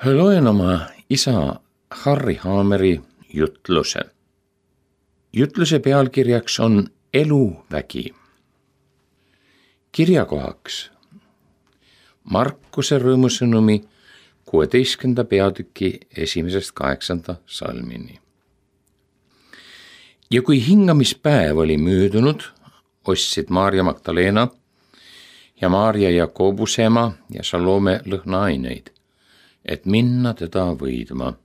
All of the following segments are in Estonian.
Loen oma isa Harri Haameri jutluse. Jutluse pealkirjaks on Eluvägi. Kirjakohaks Markuse rõõmusõnumi 16. peatüki 1.–8. salmini. Ja kui hingamispäev oli möödunud, ostsid Maarja Magdalena ja Maarja Jakobuse ema ja Salome lõhnaaineid, et minna teda võidma.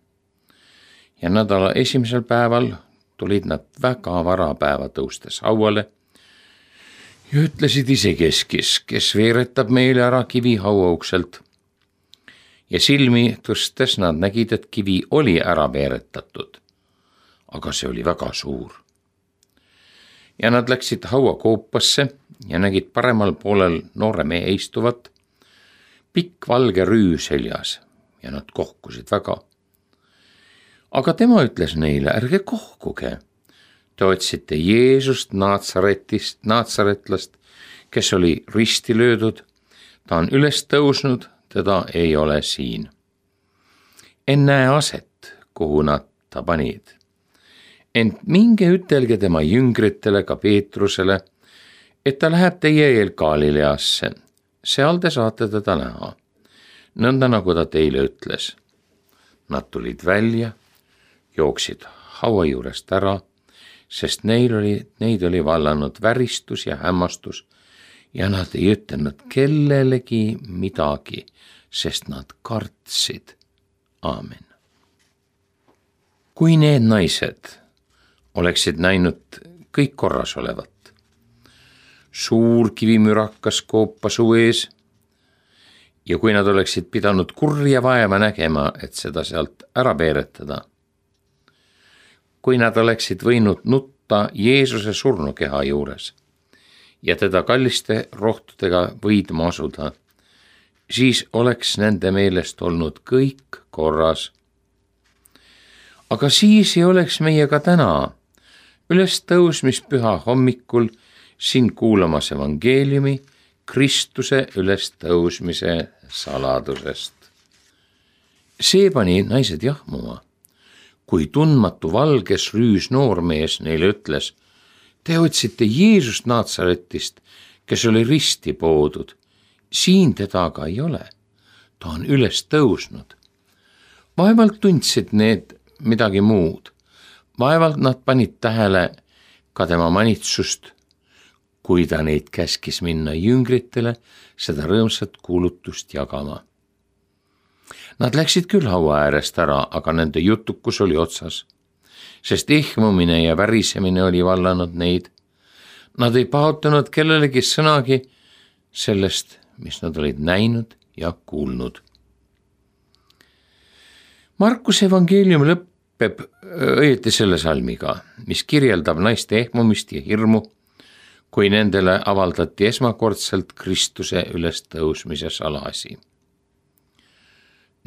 Ja nädala esimesel päeval tulid nad väga varapäeva tõustes hauale ja ütlesid isekeskis, kes veeretab meile ära kivi hauaukselt. Ja silmi tõstes nad nägid, et kivi oli ära veeretatud, aga see oli väga suur. Ja nad läksid hauakoopasse ja nägid paremal poolel noore mehe istuvat, pikk valge rüü seljas, ja nad kohkusid väga. Aga tema ütles neile, ärge kohkuge. Te otsite Jeesust Naatsaretlast, kes oli risti löödud. Ta on üles tõusnud, teda ei ole siin. En näe aset, kuhu nad ta panid. Ent minge ütelge tema jüngritele, ka Peetrusele, et ta läheb teie eel Galileasse. Seal te saate teda näha. Nõnda nagu ta teile ütles. Nad tulid välja, jooksid haua juurest ära, sest neid oli vallanud väristus ja hämmastus ja nad ei ütelnud kellelegi midagi, sest nad kartsid. Aamen. Kui need naised oleksid näinud kõik korras olevat, suur kivimürakas koopa suu ees, ja kui nad oleksid pidanud kurja vaeva nägema, et seda sealt ära veeretada, kui nad oleksid võinud nutta Jeesuse surnukeha juures ja teda kalliste rohtudega võidma asuda, siis oleks nende meelest olnud kõik korras. Aga siis ei oleks meie ka täna ülestõusmispüha hommikul siin kuulamas evangeeliumi Kristuse ülestõusmise saladusest. See pani naised jahmuma, kui tundmatu valges rüüs noormees neile ütles, te otsite Jeesust Naatsaretist, kes oli risti poodud. Siin teda aga ei ole. Ta on üles tõusnud. Vaevalt tundsid need midagi muud. Vaevalt nad panid tähele ka tema manitsust, kui ta neid käskis minna jüngritele seda rõõmsat kuulutust jagama. Nad läksid küll haua äärest ära, aga nende jutukus oli otsas, sest ehmumine ja värisemine oli vallanud neid. Nad ei paotanud kellelegi sõnagi sellest, mis nad olid näinud ja kuulnud. Markuse evangeelium lõpeb õieti selle salmiga, mis kirjeldab naiste ehmumist ja hirmu, kui nendele avaldati esmakordselt Kristuse ülestõusmise salasi.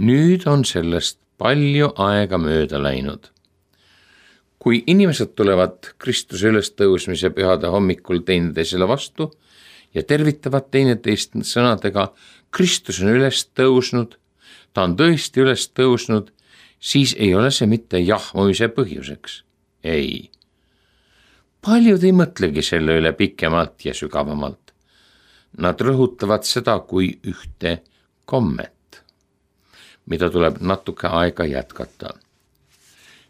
Nüüd on sellest palju aega mööda läinud. Kui inimesed tulevad Kristuse ülestõusmise pühade hommikul teineteisele vastu ja tervitavad teineteist sõnadega Kristus on üles tõusnud, ta on tõesti üles tõusnud, siis ei ole see mitte jahmumise põhjuseks. Ei. Paljud ei mõtlegi selle üle pikemalt ja sügavamalt. Nad rõhutavad seda kui ühte kommet, mida tuleb natuke aega jätkata.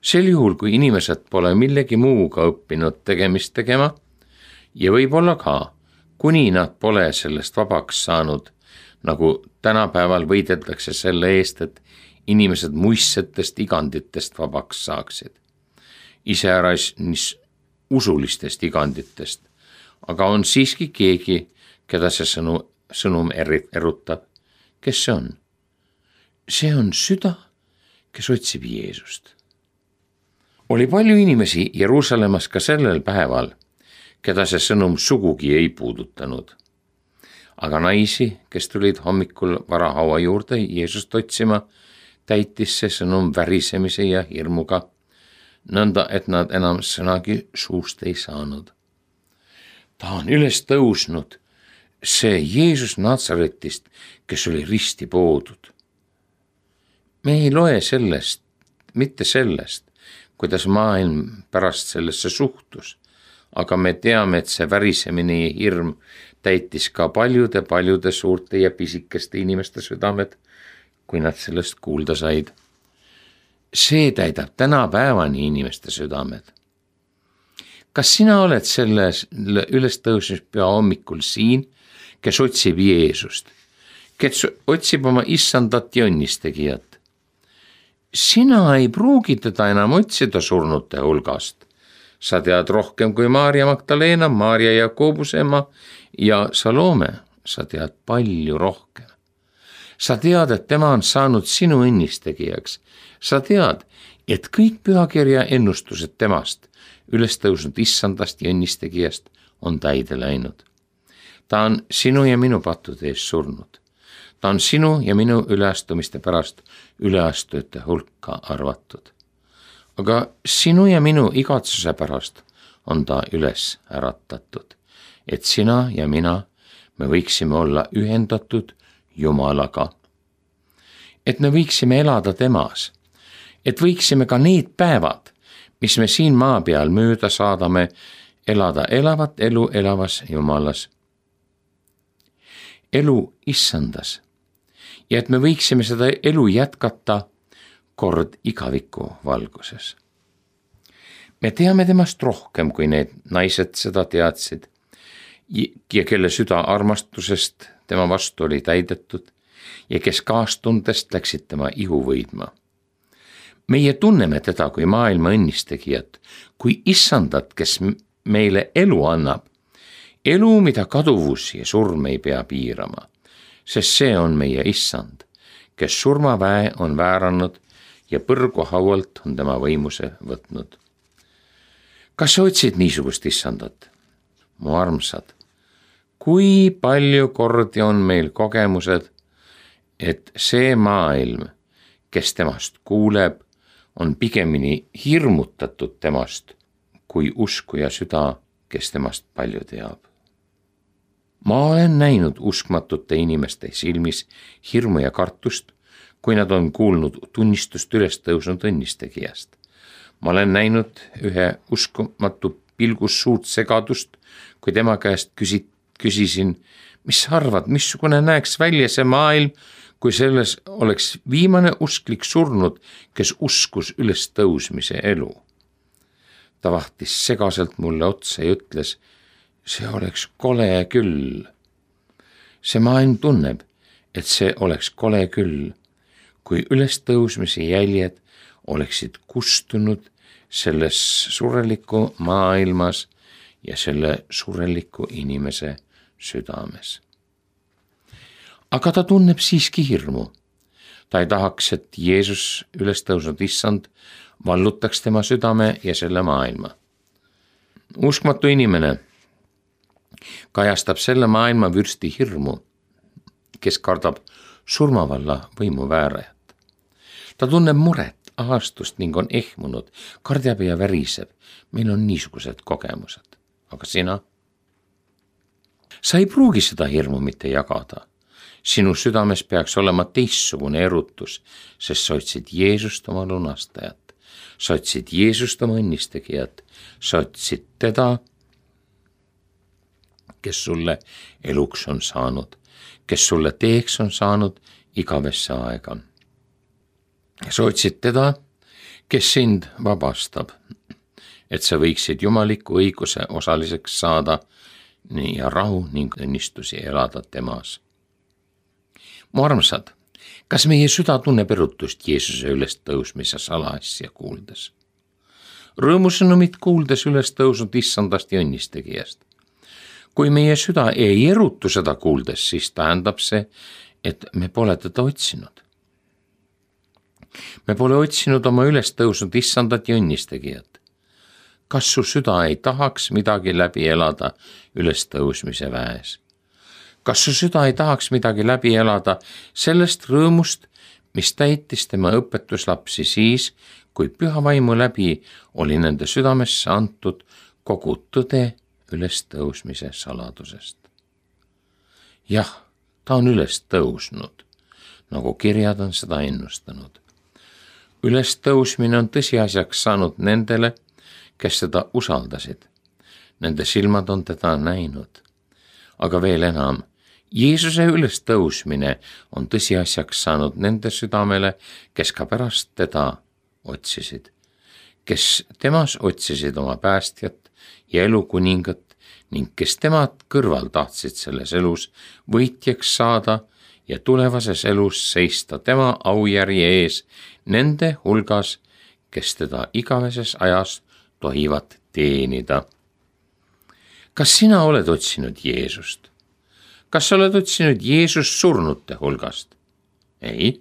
Sel juhul, kui inimesed pole millegi muuga õppinud tegemist tegema ja võib-olla ka, kuni nad pole sellest vabaks saanud, nagu tänapäeval võideldakse selle eest, et inimesed muistsetest iganditest vabaks saaksid. Iseäras usulistest iganditest, aga on siiski keegi, keda see sõnum erutab. Kes see on? See on süda, kes otsib Jeesust. Oli palju inimesi Jeruusalemmas ka sellel päeval, keda see sõnum sugugi ei puudutanud. Aga naisi, kes tulid hommikul varahaua juurde Jeesust otsima, täitis see sõnum värisemise ja hirmuga, nõnda, et nad enam sõnagi suust ei saanud. Ta on üles tõusnud, see Jeesus Naatsaretist, kes oli risti poodud. me ei loe sellest, mitte sellest, kuidas maailm pärast sellesse suhtus, aga me teame, et see värisemine ja hirm täitis ka paljude suurte ja pisikeste inimeste südamed, kui nad sellest kuulda said. See täidab tänapäevani inimeste südamed. Kas sina oled selles ülestõusmispüha hommikul siin, kes otsib Jeesust, kes otsib oma issandat ja õnnistegijat? Sina ei pruugi teda enam otsida surnute hulgast. Sa tead rohkem kui Maarja Magdalena, Maarja Jakobuse ema ja Salome. Sa tead palju rohkem. Sa tead, et tema on saanud sinu õnnistegijaks. Sa tead, et kõik pühakirja ennustused temast, ülestõusnud issandast ja õnnistegijast, on täide läinud. Ta on sinu ja minu pattude eest surnud. Ta on sinu ja minu üleastumiste pärast üleastujate hulka arvatud. Aga sinu ja minu igatsuse pärast on ta üles äratatud, et sina ja mina, me võiksime olla ühendatud Jumalaga. Et me võiksime elada temas, et võiksime ka need päevad, mis me siin maa peal mööda saadame, elada elavat elu elavas Jumalas. Elu issandas. Ja et me võiksime seda elu jätkata kord igaviku valguses. Me teame temast rohkem, kui need naised seda teadsid ja kelle süda armastusest tema vastu oli täidetud ja kes kaastundest läksid tema ihu võidma. Meie tunneme teda kui maailma õnnistegijat, kui issandat, kes meile elu annab. Elu, mida kaduvus ja surm ei pea piirama. Sest see on meie issand, kes surmaväe on vääranud ja põrgu haualt on tema võimuse võtnud. Kas sa otsid niisugust issandat? Mu armsad, kui palju kordi on meil kogemused, et see maailm, kes temast kuuleb, on pigemini hirmutatud temast, kui uskuja süda, kes temast palju teab. Ma olen näinud uskmatute inimeste silmis hirmu ja kartust, kui nad on kuulnud tunnistust ülestõusnud õnnistegijast. Ma olen näinud ühe uskumatu pilgus suurt segadust, kui tema käest küsisin, mis sa arvad, missugune näeks välja see maailm, kui selles oleks viimane usklik surnud, kes uskus ülestõusmise elu. Ta vahtis segaselt mulle otsa ja ütles, see oleks kole küll. See maailm tunneb, et see oleks kole küll, kui ülestõusmise jäljed oleksid kustunud selles sureliku maailmas ja selle sureliku inimese südames. Aga ta tunneb siiski hirmu. Ta ei tahaks, et Jeesus ülestõusnud issand vallutaks tema südame ja selle maailma. Uskmatu inimene kajastab selle maailma vürsti hirmu, kes kardab surmavalla võimuväärajat. Ta tunneb muret, ahastust ning on ehmunud, kardjab ja väriseb. Meil on niisugused kogemused. Aga sina? Sa ei pruugi seda hirmu mitte jagada. Sinu südames peaks olema teistsugune erutus, sest sa otsid Jeesust oma lunastajat. Sa otsid Jeesust oma õnnistegijat. Sa otsid teda, kes sulle eluks on saanud, kes sulle teeks on saanud igavesse aega. Sa otsid teda, kes sind vabastab, et sa võiksid jumaliku õiguse osaliseks saada ja rahu ning õnnistusi elada temas. Mu armsad, kas meie süda tunneb erutust Jeesuse ülestõusmise salaasja kuuldes? Rõõmusõnumit kuuldes ülestõusnud issandast ja õnnistegijast. Kui meie süda ei erutu seda kuuldes, siis tähendab see, et me pole teda otsinud. Me pole otsinud oma ülestõusnud issandat ja õnnistegijat. Kas su süda ei tahaks midagi läbi elada ülestõusmise väes? Kas su süda ei tahaks midagi läbi elada sellest rõõmust, mis täitis tema õpetuslapsi siis, kui püha vaimu läbi oli nende südamesse antud kogu tõde ülestõusmise saladusest? Jah, ta on üles tõusnud, nagu kirjad on seda ennustanud. Ülestõusmine on tõsiasjaks saanud nendele, kes teda usaldasid. Nende silmad on teda näinud. Aga veel enam, Jeesuse ülestõusmine on tõsiasjaks saanud nende südamele, kes ka pärast teda otsisid, kes temas otsisid oma päästjat ja elukuningat ning kes temad kõrval tahtsid selles elus võitjaks saada ja tulevases elus seista tema aujärje ees nende hulgas, kes teda igaveses ajas tohivad teenida. Kas sina oled otsinud Jeesust? Kas sa oled otsinud Jeesust surnute hulgast? Ei.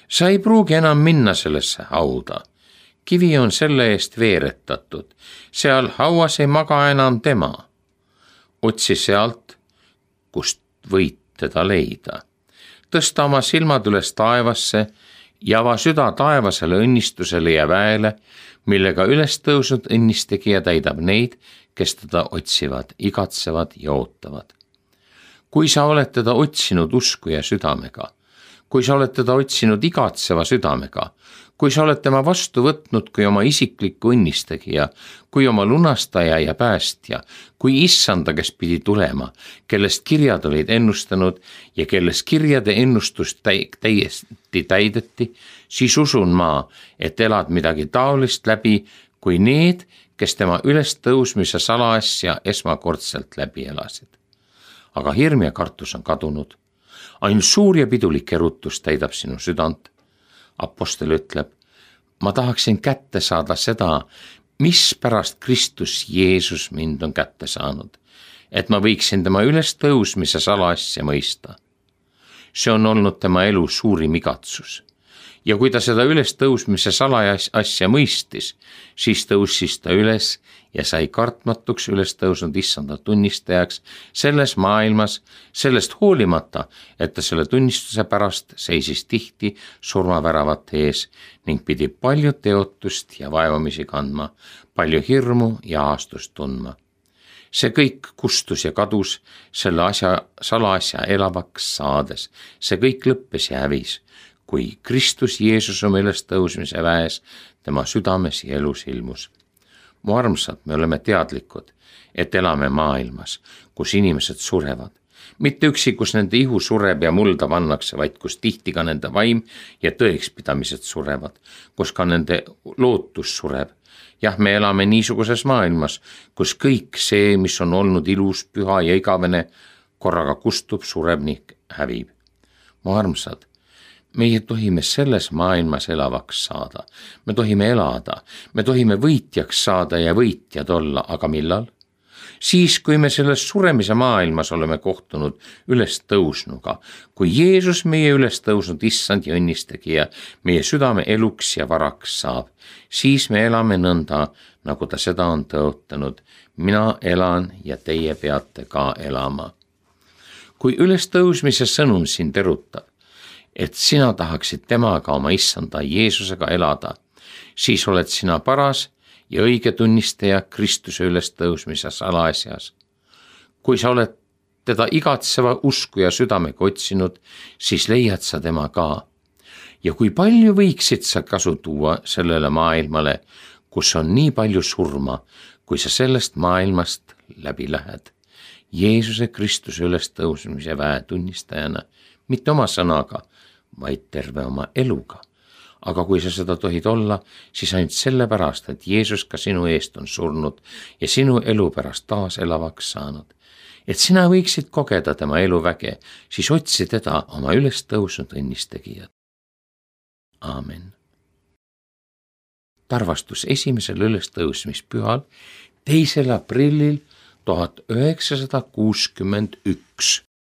Sa ei pruugi enam minna sellesse hauda. Kivi on selle eest veeretatud. Seal hauas ei maga enam tema. Otsi sealt, kust võid teda leida. Tõsta oma silmad üles taevasse ja ava süda taevasele õnnistusele ja väele, millega üles tõusnud õnnistegija täidab neid, kes teda otsivad, igatsevad ja ootavad. Kui sa oled teda otsinud usku ja südamega, kui sa oled teda otsinud igatseva südamega, kui sa oled tema vastu võtnud kui oma isikliku õnnistegija, kui oma lunastaja ja päästja, kui issanda, kes pidi tulema, kellest kirjad olid ennustanud ja kellest kirjade ennustust täiesti täideti, siis usun ma, et elad midagi taolist läbi, kui need, kes tema ülestõusmise salaasja esmakordselt läbi elasid. Aga hirm ja kartus on kadunud. Ainult suur ja pidulik erutus täidab sinu südant. Apostel ütleb, ma tahaksin kätte saada seda, mispärast Kristus Jeesus mind on kätte saanud, et ma võiksin tema ülestõusmise salaasja mõista. See on olnud tema elu suurim igatsus. Ja kui ta seda ülestõusmise salaasja mõistis, siis tõusis ta üles ja sai kartmatuks ülestõusnud issanda tunnistajaks selles maailmas, sellest hoolimata, et ta selle tunnistuse pärast seisis tihti surmaväravate ees ning pidi palju teotust ja vaevamisi kandma, palju hirmu ja aastust tundma. See kõik kustus ja kadus selle salaasja elavaks saades, see kõik lõppes ja hävis, kui Kristus Jeesus oma ülestõusmise väes tema südames ja elus ilmus. Mu armsad, me oleme teadlikud, et elame maailmas, kus inimesed surevad. Mitte üksi, kus nende ihu sureb ja mulda pannakse, vaid kus tihti ka nende vaim ja tõekspidamised surevad, kus ka nende lootus sureb. Jah, me elame niisuguses maailmas, kus kõik see, mis on olnud ilus, püha ja igavene, korraga kustub, sureb ning hävib. Mu armsad, meie tohime selles maailmas elavaks saada, me tohime elada, me tohime võitjaks saada ja võitjad olla, aga millal? Siis, kui me selles suremise maailmas oleme kohtunud ülestõusnuga, kui Jeesus meie ülestõusnud issand ja õnnistegija meie südame eluks ja varaks saab, siis me elame nõnda, nagu ta seda on tõotanud. Mina elan ja teie peate ka elama. Kui ülestõusmise sõnum sind erutab, et sina tahaksid temaga oma issanda Jeesusega elada, siis oled sina paras ja õige tunnistaja Kristuse ülestõusmise salaasjas. Kui sa oled teda igatseva usku ja südamega otsinud, siis leiad sa tema ka. Ja kui palju võiksid sa kasu tuua sellele maailmale, kus on nii palju surma, kui sa sellest maailmast läbi lähed. Jeesuse Kristuse ülestõusmise väe tunnistajana, mitte oma sõnaga, vaid terve oma eluga. Aga kui sa seda tohid olla, siis ainult sellepärast, et Jeesus ka sinu eest on surnud ja sinu elu pärast taas elavaks saanud. Et sina võiksid kogeda tema eluväge, siis otsi teda oma ülestõusnud õnnistegijat. Aamen. Tarvastus esimesel ülestõusmispühal 2. aprillil 1961.